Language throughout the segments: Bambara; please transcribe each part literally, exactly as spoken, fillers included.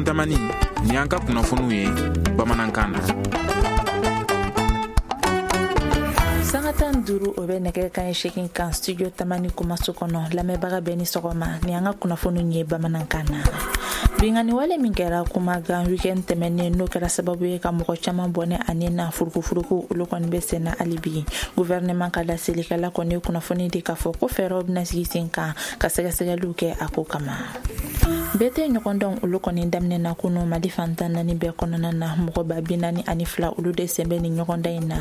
Ntamani, nin y'an ka kunnafoniw ye bamanankan na. Sanga tan duuru o bɛ nɛgɛ kanɲɛ seegin kan studio Tamani kumaso kɔnɔ. Lamɛnbaga bɛɛ ni sɔgɔma, nin y'an ka kunnafoniw ye bamanankan na. Binkanni wale min kɛra Kumagan weekend tɛmɛnen, n'o kɛra sababu ye ka mɔgɔ caman bɔnɛ ani na furukufuruku, olu kɔni bɛ sen na hali bi. Gouvernement ka laselikɛla kɔni ye kunnafoni di k'a fɔ ko fɛɛrɛw bɛna sigi sen kan ka sɛgɛsɛgɛliw kɛ a ko kama. Bɛɛ tɛ ɲɔgɔndɔn olu kɔni daminɛna kunu Mali fan tan naani bɛɛ kɔnɔna na. Mɔgɔ ba bi naani ani fila olu de sen bɛ nin ɲɔgɔndan in na.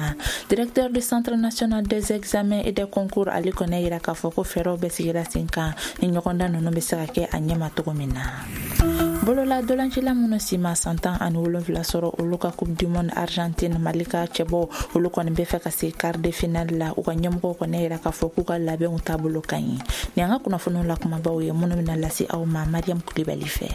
Directeur du Centre national des examens et des concours, ale kɔni yira k'a fɔ ko fɛɛrɛw bɛ sigira sen kan ni ɲɔgɔndan ninnu bɛ se ka kɛ a ɲɛma cogo min na. Bolola dolancila minnu si ma san tan ani wolonfila sɔrɔ, olu ka Coupe du monde Argentine, Mali ka cɛbɔ olu kɔni bɛ fɛ ka se quart de finale la. U ka ɲɛmɔgɔw kɔni yira k'a fɔ k'u ka labɛnw taabolo ka ɲi. Nin y'an ka kunnafoniw la kumabaw ye minnu bɛna lase aw ma Mariam Kulibali fɛ.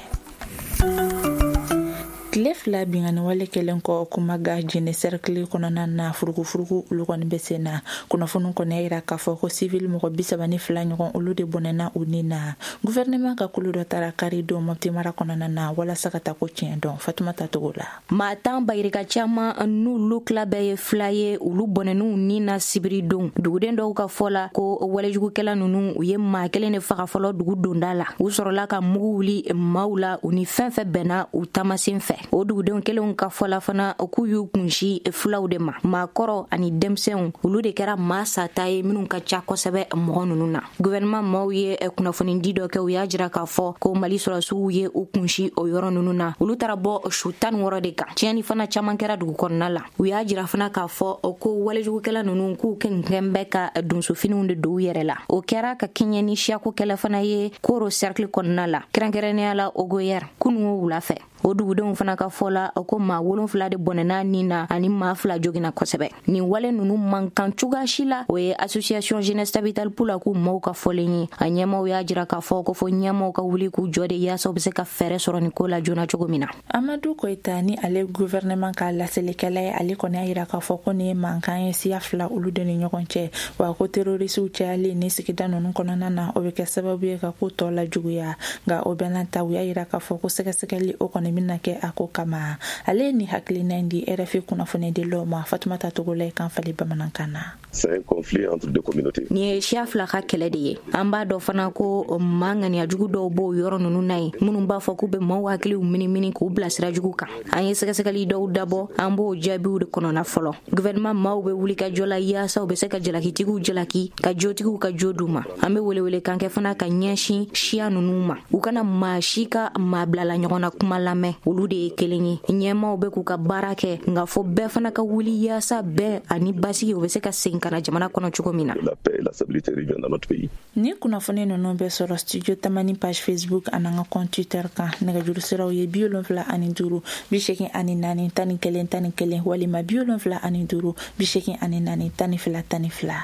Tile fila binkanni wale kɛlen kɔ Kumaga Jene cercle kɔnɔna na, furukufuruku olu kɔni bɛ sen na. Kunnafoniw kɔni y'a yira k'a fɔ ko civil mɔgɔ bi saba ni fila ɲɔgɔn olu de bɔnɛna u ni na. Gouvernement ka kulu dɔ taara kari don Mopti mara kɔnɔna na walasa ka taa ko tiɲɛ dɔn. Fatumata Togo la. Maa tan bayirika caman n'olu tila bɛɛ ye fila ye, olu bɔnɛn'u ni na sibiri don. Duguden dɔw ka fɔ la ko walejugukɛla ninnu, u ye maa kelen de faga fɔlɔ dugu donda la. U sɔrɔla ka mugu wuli maaw la, u ni fɛn fɛn bɛnna u taamasen fɛ. O dugudenw kelenw ka fɔ la fana k'u y'u kunsi filaw de ma. Maakɔrɔ ani denmisɛnw, olu de kɛra maa sata ye minnu ka ca kosɛbɛ mɔgɔ ninnu na. Gouvernement maaw ye kunnafonidi dɔ kɛ, u y'a jira k'a fɔ ko Mali sɔrɔdasiw ye u kunsi o yɔrɔ ninnu na. Olu taara bɔ su tan ni wɔɔrɔ de kan. Tiɲɛni fana caman kɛra dugu kɔnɔna la. U y'a jira fana k'a fɔ ko walejugukɛla ninnu k'u kɛn bɛ ka donsofiniw de don u yɛrɛ la. O kɛra ka kɛɲɛ ni siyako kɛlɛ fana ye Koro cercle kɔnɔna la, kɛrɛnkɛrɛnnenya la Ogoyɛr kunun wula fɛ. O dugudenw fana ka fɔ la ko maa wolonfila de bɔnɛna nin na ani maa fila joginna kosɛbɛ. Nin wale ninnu man kan cogoya si la. O ye association jeunesse Tabital Pulaku maaw ka fɔlen ye. A ɲɛmaw y'a jira k'a fɔ ko fo ɲɛmaw ka wuli k'u jɔ de yaasa u bɛ se ka fɛɛrɛ sɔrɔ nin ko la joona cogo min na. Amadu Koyita ni ale gouvernement ka laselikɛla ye, ale kɔni y'a jira k'a fɔ ko nin ye mankan ye siya fila olu de ni ɲɔgɔn cɛ, wa ko terrorisiw cayalen ni sigida ninnu kɔnɔna na, o bɛ kɛ sababu ye ka ko tɔ lajuguya. Nka o bɛɛ n'a ta, u y'a jira k'a fɔ ko sɛgɛsɛgɛli o kɔni bɛna kɛ a ko kama. Ale ye nin hakilina in di R F I kunnafonidilaw ma. Fatumata Togo la, kan fali bamanankan na. C'est un conflit entre deux communautés. Nin ye siya fila ka kɛlɛ de ye. An b'a dɔn fana ko maa ŋaniya jugu dɔw b'o yɔrɔ ninnu na yen, minnu b'a fɔ k'u bɛ maaw hakiliw minimini k'u bilasira jugu kan. An ye sɛgɛsɛgɛli dɔw dabɔ, an b'o jaabiw de kɔnɔna fɔlɔ. Gouvernement maaw bɛ wuli ka jɔ la yaasa u bɛ se ka jalakitigiw jalaki, ka jotigiw ka jo d'u ma. An bɛ welewelekan kɛ fana ka ɲɛsin siya ninnu ma, u kana maa si ka maa bilala ɲɔgɔn na kuma lamɛn, olu de ye kelen ye. Ɲɛmaaw bɛ k'u ka baara kɛ, nka fo bɛɛ fana ka wuli yaasa bɛn ani basigi u bɛ se ka segin ka na jamana kɔnɔ cogo min na. La paix et la stabilité reviennent dans notre pays. Ni kunnafoni ninnu bɛ sɔrɔ studio Tamani page Facebook ani an ka compte Twitter kan. Nɛgɛjuru siraw ye bi wolonfila ani duuru bi seegin ani naani tan ni kelen tan ni kelen walima bi wolonfila ani duuru bi seegin ani naani tan ni fila tan ni fila.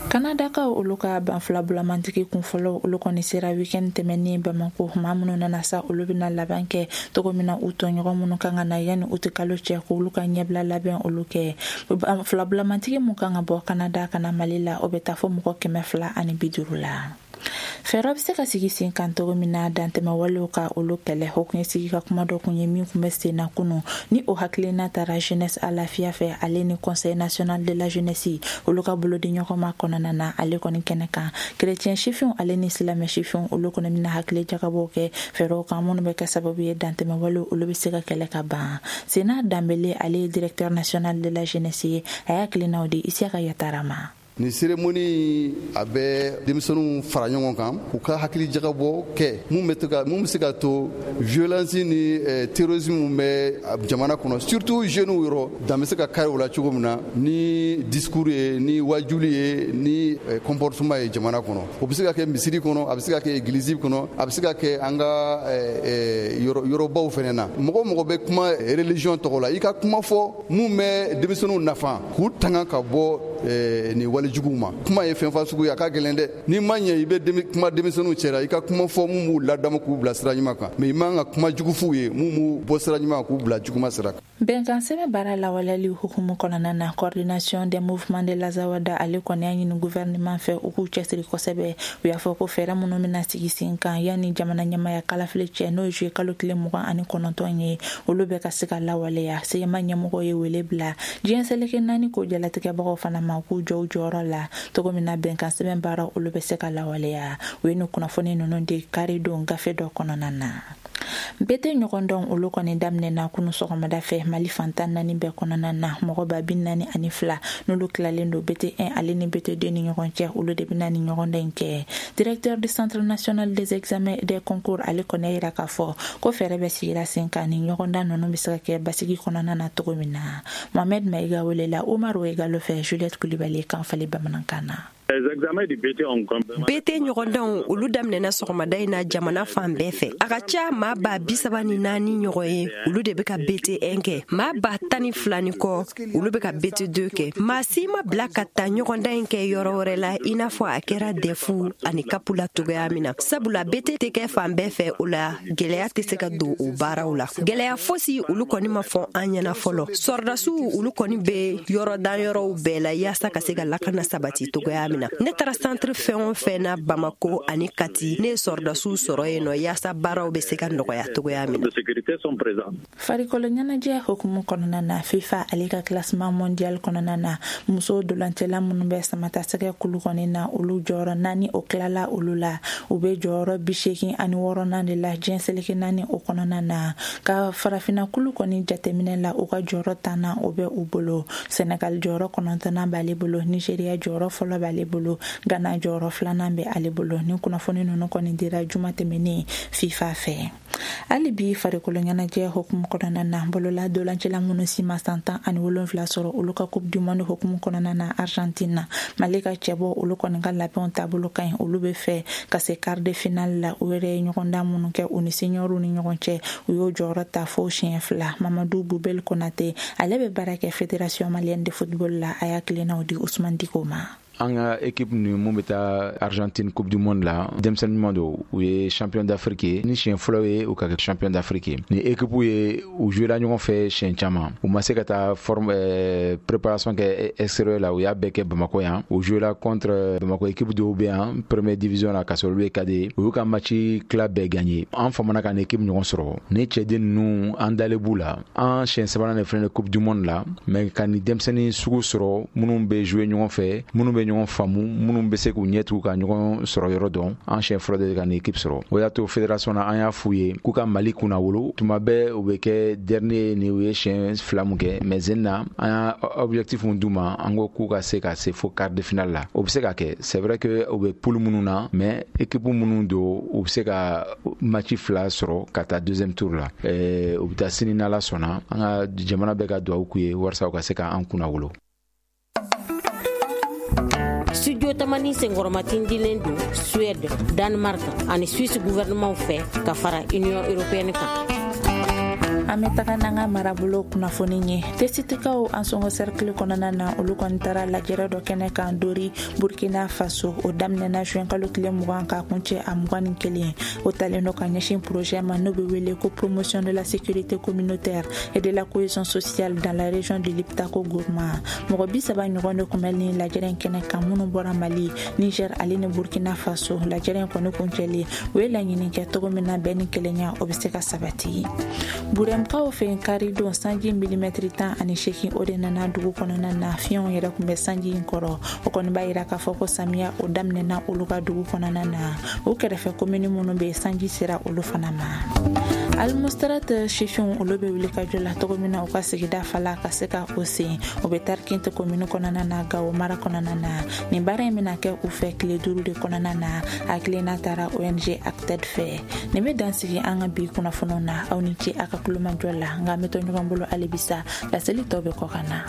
Kanadakaw olu ka ban fila bulamantigi kunfɔlɔ olu kɔni sera weekend tɛmɛnen Bamako. Maa minnu nana sa, olu bɛna laban kɛ cogo min na, u tɔɲɔgɔn minnu kan ka na yanni u tɛ kalo cɛ, k'olu ka ɲɛbila labɛn olu kɛ. Ban fila bulamantigi mun kan ka bɔ Kanada ka na Mali la, o bɛ taa fɔ mɔgɔ kɛmɛ fila ani bi duuru la. Fɛɛrɛ bɛ se ka sigi sen kan cogo min na dantɛmɛwalew ka olu kɛlɛ, o kun ye sigi ka kuma dɔ kun ye min kun bɛ sen na kunun. Ni o hakilina taara jeunesse à lafiya fɛ, ale ni Conseil national de la jeunesse olu ka bolodi ɲɔgɔn ma kɔnɔna na, ale kɔni kɛnɛ kan chrétien sifinw ale ni silamɛ sifinw olu kɔni bɛna hakili jagabɔw kɛ fɛɛrɛw kan minnu bɛ kɛ sababu ye dantɛmɛwalew olu bɛ se ka kɛlɛ ka ban. Sena Danbele, ale ye directeur national de la jeunesse ye, a y'a hakilinaw di Isiyaka Yatara ma. Nin cérémonie a bɛ denmisɛnninw fara ɲɔgɔn kan k'u ka hakili jagabɔ kɛ mun bɛ to ka mun bɛ se ka to violence ni terrorisme bɛ jamana kɔnɔ, surtout jeunes yɔrɔ dan bɛ se ka kari o la cogo min na ni discours ye, ni wajuli ye, ni comportement ye jamana kɔnɔ. O bɛ se ka kɛ misiri kɔnɔ, a bɛ se ka kɛ église kɔnɔ, a bɛ se ka kɛ an ka yɔrɔbaw fana na. Mɔgɔ mɔgɔ bɛ kuma religion tɔgɔ la, i ka kuma fɔ mun bɛ denmisɛnninw nafa k'u tanga ka bɔ eh, nin walejuguw ma. Kuma ye fɛn fasugu ye, a ka gɛlɛn dɛ. N'i ma ɲɛ i bɛ kuma denmisɛnninw cɛla, i ka kuma fɔ mun b'u ladamu k'u bila sira ɲuman kan, mais i man ka kuma jugu f'u ye mun b'u bɔ sira ɲuman k'u bila juguma sira kan. Bɛnkan sɛbɛn baara lawaleyali hukumu kɔnɔna na, coordination des mouvements de l'Azawada ale kɔni y'a ɲini gouvernement fɛ u k'u cɛsiri kosɛbɛ. U y'a fɔ ko fɛɛrɛ minnu bɛna sigi sen kan yanni jamana ɲɛmaya kalafili cɛ, n'o ye juillet kalo tile mugan ani kɔnɔntɔn ye, olu bɛ ka se ka lawaleya. C M A ɲɛmɔgɔ ye wele bila diɲɛ seleke naani ko jalatigɛbagaw fana ma k'u jɔ u jɔyɔrɔ la cogo min na bɛnkan sɛbɛn baara olu bɛ se ka lawaleya. U ye nin kunnafoni ninnu di kari don gafe dɔ kɔnɔna na. B T ɲɔgɔndɔn olu kɔni daminɛna kunu sɔgɔmada fɛ Mali fantan naani bɛɛ kɔnɔna na. Mɔgɔ ba bi naani ani fila n'olu tilalen don B T un ale ni B T deux ni ɲɔgɔn cɛ, olu de bɛna ni ɲɔgɔndan in kɛ. Directeur du Centre national des examens des concours ale kɔni y'a yira k'a fɔ ko fɛɛrɛ bɛ sigira sen kan ni ɲɔgɔndan ninnu bɛ se ka kɛ basigi kɔnɔna na cogo min na. Mohamed Maïga welela Omar Ouegalo fɛ, Juliette Coulibaly kan fali bamanankan na. B T ɲɔgɔndanw olu daminɛna sɔgɔmada in na jamana fan bɛɛ fɛ. A ka ca maa ba bi saba ni naani ɲɔgɔn ye, olu de bɛ ka B T un kɛ. Maa ba tan ni fila ni kɔ, olu bɛ ka B T deux kɛ. Maa si ma bila ka taa ɲɔgɔndan in kɛ yɔrɔ wɛrɛ la, i n'a fɔ a kɛra D E F ani C A P la cogoya min na, sabula B T tɛ kɛ fan bɛɛ fɛ. O la, gɛlɛya tɛ se ka don o baaraw la. Gɛlɛya fosi olu kɔni ma fɔ an ɲɛna fɔlɔ. Sɔrɔdasiw olu kɔni bɛ yɔrɔ dan yɔrɔw bɛɛ la yaasa ka se ka lakana sabati cogoya min na. Ne taara centre fɛn o fɛn na Bamako ani Kati, ne ye sɔrɔdasiw sɔrɔ yen nɔ yaasa baaraw bɛ se ka nɔgɔya cogoya min na. Farikolo ɲɛnajɛ hukumu kɔnɔna na, FIFA ale ka classement mondial kɔnɔna na, muso dolancɛla minnu bɛ samatasɛgɛ kulu kɔni na, olu jɔyɔrɔ naani o tilala olu la. U bɛ jɔyɔrɔ bi seegin ani wɔɔrɔnan de la diɲɛ seleke naani o kɔnɔna na. Ka farafinna kulu kɔni jateminɛ la, u ka jɔyɔrɔ tannan o bɛ u bolo. Senegal jɔyɔrɔ kɔnɔntɔnnan b'ale bolo, Nigeria jɔyɔrɔ fɔlɔ b'ale bolo, Ghana jɔyɔrɔ filanan bɛ ale bolo. Ni kunnafoni ninnu kɔni dira juma tɛmɛnen FIFA fɛ. Hali bi farikolo ɲɛnajɛ hukumu kɔnɔna na, bolola dolancɛla minnu si ma san tan ani wolonfila sɔrɔ, olu ka Coupe du monde hukumu kɔnɔna na Argentine na, Mali ka cɛbɔ olu kɔni ka labɛnw taabolo ka ɲi. Olu bɛ fɛ ka se quart de finale la. U yɛrɛ ye ɲɔgɔndan minnu kɛ u ni seniorw ni ɲɔgɔn cɛ, u y'o jɔyɔrɔ ta fo siɲɛ fila. Mamadu Bubel Konate, ale bɛ baara kɛ Fédération malienne de football la, a y'a tilennaw di Usman Diko ma. An ka équipe ni mun bɛ taa Argentine Coupe du monde la, denmisɛnnin ɲuman don. U ye champion d'Afrique ye, ni siɲɛ fɔlɔ ye u ka kɛ champion d'Afrique ye. Ni équipe ye, u joué la ɲɔgɔn fɛ siɲɛ caman. U ma se ka taa forme euh, préparation kɛ extérieur la, u y'a bɛɛ kɛ Bamako yan. U joué la contre Bamako équipe dɔw bɛ yan première division la, k'a sɔrɔ olu ye cadet ye. U y'u ka match tila bɛɛ gagné. An famana ka ni équipe ɲɔgɔn sɔrɔ. Ni cɛden ninnu, an dalen b'u la. An siɲɛ sabanan de filɛ nin Coupe du monde la, mais ka ni denmisɛnnin sugu sɔrɔ minnu bɛ jouer ɲɔgɔn fɛ, minnu bɛ ɲɔgɔn faamu, minnu bɛ se k'u ɲɛ tugu ka ɲɔgɔn sɔrɔ yɔrɔ dɔn, an siɲɛ fɔlɔ de ka nin équipe sɔrɔ. O y'a to fédération na, an y'a f'u ye k'u ka Mali kunna wolo. Tuma bɛɛ u bɛ kɛ dernier ni u ye siɲɛ fila mun kɛ, mais zen na, an y'a objectif mun d'u ma, an ko k'u ka se ka se fo quart de finale la. O bɛ se ka kɛ. C'est vrai que u bɛ poule minnu na, mais équipe minnu don, u bɛ se ka match fila sɔrɔ ka taa deuxième tour la. ɛɛ u bɛ taa sini n'Ala sɔnna. An ka jamana bɛɛ ka dugawu k'u ye walasa u ka se k'an kunna wolo. Studio Tamani senkɔrɔmatindilen don Suède, Danemark ani Suisse gouvernement fɛ ka fara Union européenne kan. An bɛ taga n'an ka marabolo kunnafoni ye. Tesitikaw Ansongo cercle kɔnɔna na, olu kɔni taara lajɛrɛ dɔ kɛnɛ kan Dori, Burkina Faso. O daminɛna juin kalo tile mugan k'a kuncɛ a mugan ni kelen. O talen dɔ ka ɲɛsin projet ma n'o bɛ wele ko promotion de la sécurité communautaire et de la cohésion sociale dans la région de Liptako Gourma. Mɔgɔ bi saba ɲɔgɔn de kun bɛ nin lajɛrɛ in kɛnɛ kan, minnu bɔra Mali, Niger ale ni Burkina Faso. Lajɛrɛ in kɔni kuncɛlen, u ye laɲini kɛ cogo min na bɛn ni kelenya o bɛ se ka sabati. Burɛmkaw fɛ yen, kari don, sanji milimɛtiri tan ani seegin o de nana dugu kɔnɔna na. Fiɲɛw yɛrɛ kun bɛ sanji in kɔrɔ. O kɔni b'a yira k'a fɔ ko samiya o daminɛna olu ka dugu kɔnɔna na. O kɛrɛfɛ komini minnu bɛ yen, sanji sera olu fana ma. Almustarat sifinw olu bɛ wuli ka jɔ la cogo min na u ka sigida fala ka se ka o sen, o bɛ Tarkint komini kɔnɔna na, Gawo mara kɔnɔna na. Nin baara in bɛna kɛ u fɛ tile duuru de kɔnɔna na. Hakilina taara O N G Acted fɛ. Nin bɛ dan sigi an ka bi kunnafoniw na. Aw ni ce a ka kulomajɔ la, nka an bɛ to ɲɔgɔn bolo halibisa. Laseli tɔ bɛ kɔ ka na.